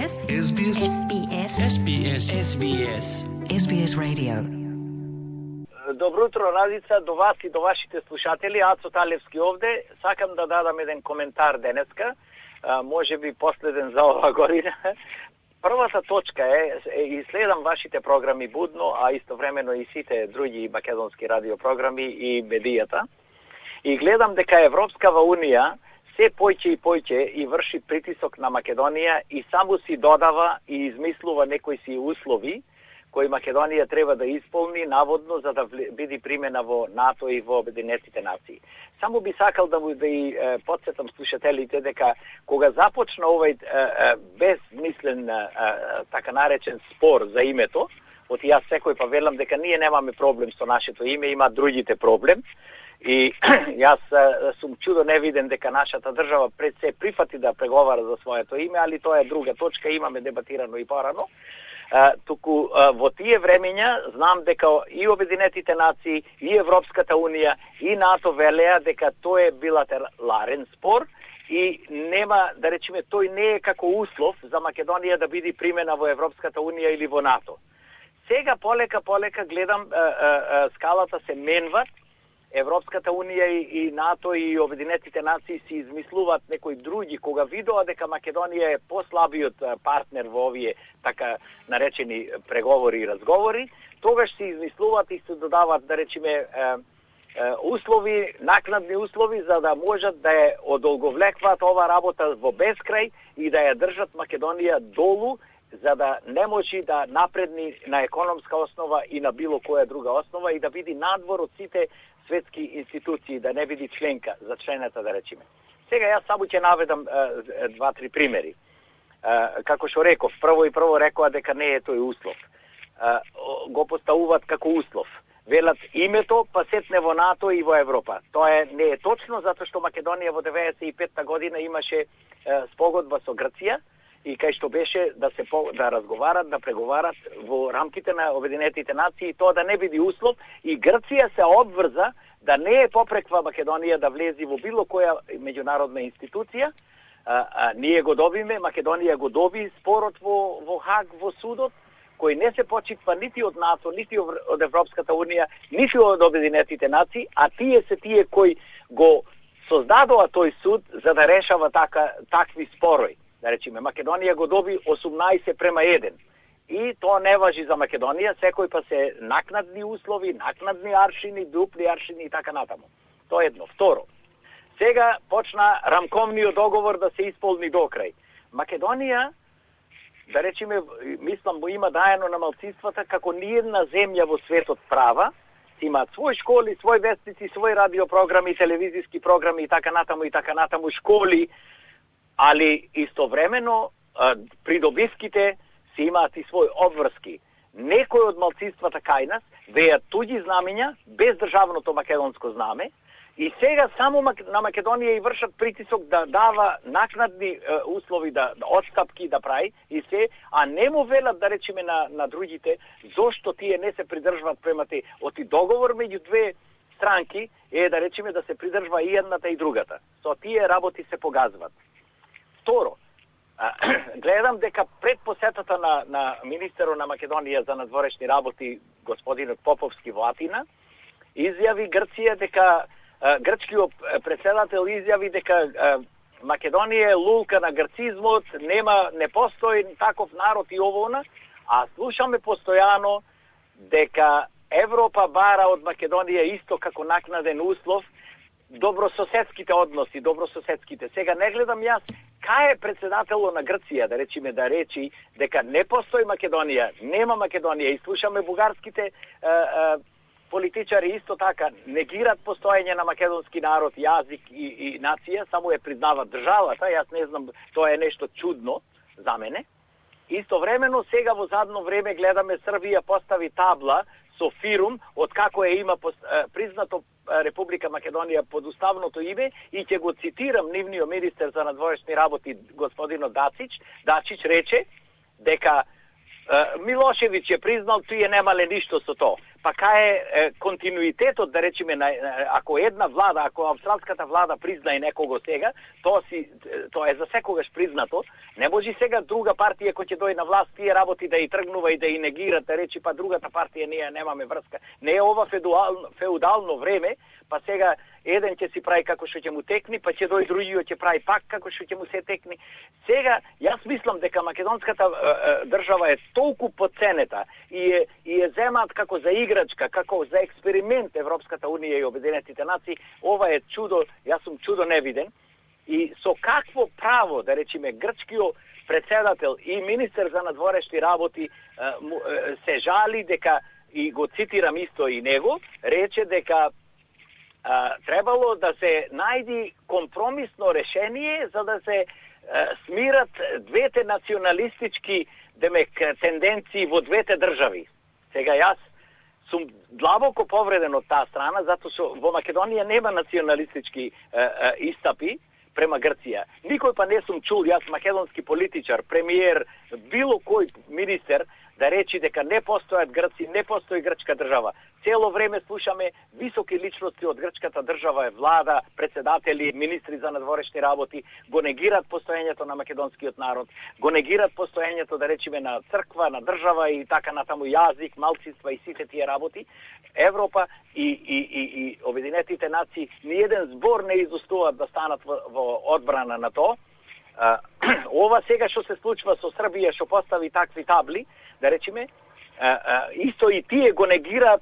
SBS SBS Radio. Добро утро, Радица, до вас и до вашите слушатели. Ацо Талевски овде. Сакам да дадам еден коментар денеска, може би последен за ова година. Првата точка и следам вашите програми будно, а истовремено и сите други македонски радиопрограми и медијата. И гледам дека Европскава Унија се појќе и појќе и врши притисок на Македонија и само си додава и измислува некои си услови кои Македонија треба да исполни наводно за да биде примена во НАТО и во Обединетите нации. Само би сакал да и подсетам слушателите дека кога започна овој безмислен така наречен спор за името, оти јас секој па велам дека ние немаме проблем со нашето име, има другите проблем. И јас сум чудо невиден дека нашата држава пред се прифати да преговара за своето име, али тоа е друга точка, имаме дебатирано и порано. Туку во тие времења знам дека и Обединетите нации, и Европската Унија, и НАТО велеа дека тоа е билатерален спор и нема, да речеме, тој не е како услов за Македонија да биде примена во Европската Унија или во НАТО. Сега полека гледам скалата се менват. Европската Унија и НАТО и Обединетите нации си измислуваат некои други, кога видоа дека Македонија е послабиот партнер во овие така наречени преговори и разговори, тогаш си измислуваат и се додаваат, да речеме, услови, накнадни услови, за да можат да ја одолговлекваат ова работа во бескрај и да ја држат Македонија долу, за да не може да напредни на економска основа и на било која друга основа и да биде надвор од сите светски институции, да не биде членка за члената, да речеме. Сега јас само ќе наведам 2-3 примери. Како што реков, прво рекоа дека не е тој услов. Го поставуваат како услов. Велат името, па сетне во НАТО и во Европа. Тоа не е точно, затоа што Македонија во 95-та година имаше спогодба со Грција, и кај што беше да разговарат, да преговарат во рамките на Обединетите нации и тоа да не биде услов и Грција се обврза да не е попреква Македонија да влези во било која меѓународна институција. Ние го добиме, Македонија го доби спорот во Хаг, во судот, кој не се почитва нити од НАТО, нити од Европската Унија, нити од Обединетите нации, а тие се тие кои го создадоа тој суд за да решава такви спорои. Да речеме, Македонија го доби 18:1. И тоа не важи за Македонија, секој па се накнадни услови, накнадни аршини, дупли аршини и така натаму. Тоа е едно. Второ, сега почна рамковниот договор да се исполни до крај. Македонија, да речеме, мислам, има даено на малцинствата како ниедна земја во светот права, имаат своји школи, своји вестници, своји радиопрограми, телевизиски програми и така натаму, школи, али истовремено придобивките си имаат и своји обврски. Некои од малцинствата кај нас веат туѓи знамења без државното македонско знаме и сега само на Македонија и вршат притисок да дава накнадни услови, да отстапки да прави и се, а не му велат, да речеме, на другите зошто тие не се придржваат према те оти договор меѓу две странки е, да речеме, да се придржва и едната и другата. Со тие работи се погазват. Второ, гледам дека пред посетата на министерот на Македонија за надворешни работи, господинот Поповски во Атина, изјави Грција дека, грчкиот председател изјави дека Македонија е лулка на грцизмот, не постои таков народ и овона, а слушаме постојано дека Европа бара од Македонија исто како накнаден услов добрососедските односи, Сега не гледам јас кај е председателот на Грција, да речеме, да речи дека не постои Македонија, нема Македонија и слушаме бугарските политичари исто така негират постоење на македонски народ, јазик и нација, само ја признават државата, јас не знам, тоа е нешто чудно за мене. Истовремено сега во задно време гледаме Србија постави табла со фирум од како има признато Република Македонија под уставното име и ќе го цитирам нивниот министер за надворешни работи господинот Дачич рече дека Милошевиќ е признал, тие немале ништо со тоа. па кај е континуитетот, да речеме, ако една влада, ако австралската влада признае некого сега, тоа е за секогаш признато. Не може сега друга партија која ќе дојде на власт, тие работи да и тргнува и да и негира, да речи па другата партија ние немаме врска. Не е ова феудално време, па сега еден ќе си прави како што ќе му текни, па ќе дојде другиот ќе прави пак како што ќе му се текни. Сега јас мислам дека македонската држава е толку подценета и е земаат како за играчка, како за експеримент Европската унија и Обединетите нации. Ова е чудо, јас сум чудо невиден. И со какво право, да речеме, грчкиот председател и министер за надворешни работи се жали дека, и го цитирам исто и него, рече дека требало да се најди компромисно решение за да се смират двете националистички тенденции во двете држави. Сега јас сум длабоко повреден од таа страна, затоа што во Македонија нема националистички истапи према Грција. Никој па не сум чул, јас македонски политичар, премиер, било кој министер да речи дека не постојат грци, не постои грчка држава. Цело време слушаме високи личности од грчката држава, влада, председатели, министри за надворешни работи, го негират постоењето на македонскиот народ, го негират постоењето, да речеме, на црква, на држава и така натаму, јазик, малцинства и сите тие работи. Европа и Обединетите нации ниеден збор не изустуваат да станат во одбрана на тоа. Ова сега што се случува со Србија, што постави такви табли, да речеме, исто и тие го негираат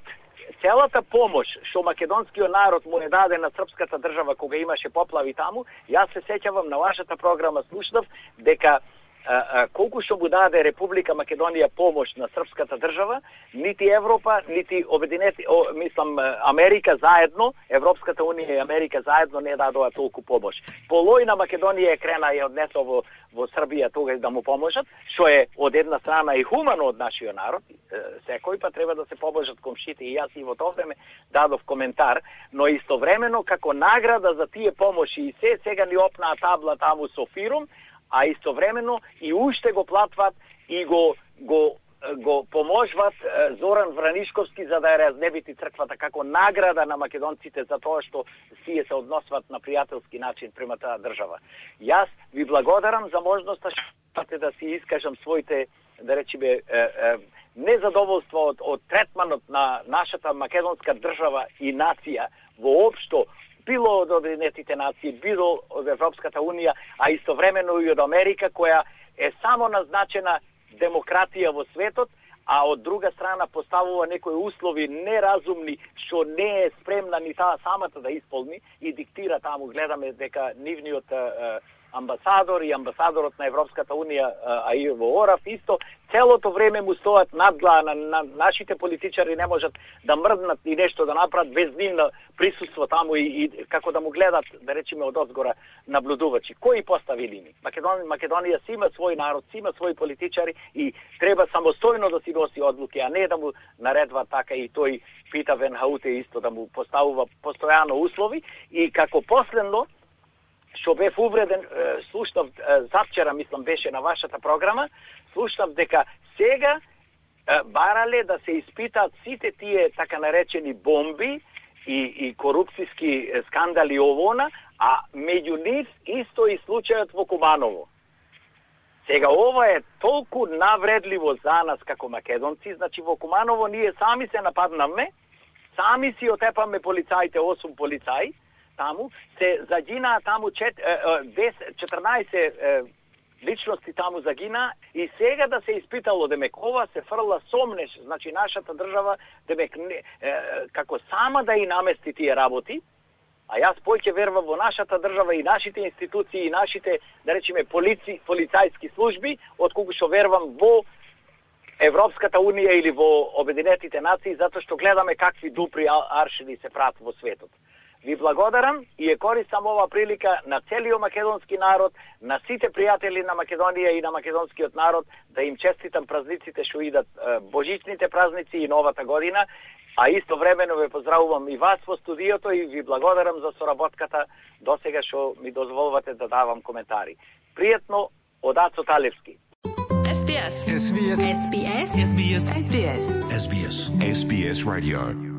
целата помош што македонскиот народ му е даде на српската држава кога имаше поплави таму. Јас се сеќавам на вашата програма, слушнав дека колку што му даде Република Македонија помош на српската држава, нити Европа, нити Америка заедно, Европската унија и Америка заедно не дадоа толку помош. Полојна Македонија е крена и однесла во Србија тогаш да му поможат, што е од една страна и хумано од нашиот народ. Секој па треба да се поможат комшите и јас и во тоа време дадов коментар, но истовремено како награда за тие помоши и сега ни опнаа табла таму со фирум, а истовремено и уште го платват и го поможват Зоран Вранишковски за да ја разнебити црквата како награда на македонците за тоа што сие се односват на пријателски начин према таа држава. Јас ви благодарам за можноста што да си искажам своите, да речеме, незадоволство од третманот на нашата македонска држава и нација воопшто, било од Обединетите нации, било од Европската унија, а истовремено и од Америка, која е само назначена демократија во светот, а од друга страна поставува некои услови неразумни, што не е спремна ни таа самата да исполни и диктира таму. Гледаме дека нивниот амбасадор и амбасадорот на Европската унија, а и во ОРАФ исто, целото време му стоат надглава на нашите политичари, не можат да мрднат и нешто да направат без нивно присуство таму и како да му гледат, да речеме, од озгора наблюдувачи. Кои постави лими? Македонија си има свој народ, си има своји политичари и треба самостојно да си носи одлуки, а не да му наредва така и тој Пита Венхауте исто да му поставува постојано услови. И како последно, што бев увреден, слушнав завчера, мислам, беше на вашата програма, слушнав дека сега барале да се испитаат сите тие така наречени бомби и корупцијски скандали овона, а меѓу нив исто и случајот во Куманово. Сега ова е толку навредливо за нас како македонци, значи во Куманово ние сами се нападнаме, сами си отепаме полицаите, 8 полицаи, таму се загинаа таму 14 личности таму загина и сега да се испитало демек ова се фрла сомнеш, значи нашата држава демек како сама да и намести тие работи, а јас поќе верувам во нашата држава и нашите институции и нашите, да речеме, полицајски служби, отколку што верувам во Европската унија или во Обединетите нации, затоа што гледаме какви дупри аршини се прават во светот. Ви благодарам и ја користам ова прилика на целиот македонски народ, на сите пријатели на Македонија и на македонскиот народ, да им честитам празниците што идат, божичните празници и новата година, а истовремено ве поздравувам и вас во студиото и ви благодарам за соработката досега што ми дозволувате да давам коментари. Пријатно од Ацо Талевски. SBS. SBS. SBS. SBS. SBS. SBS. SBS Radio.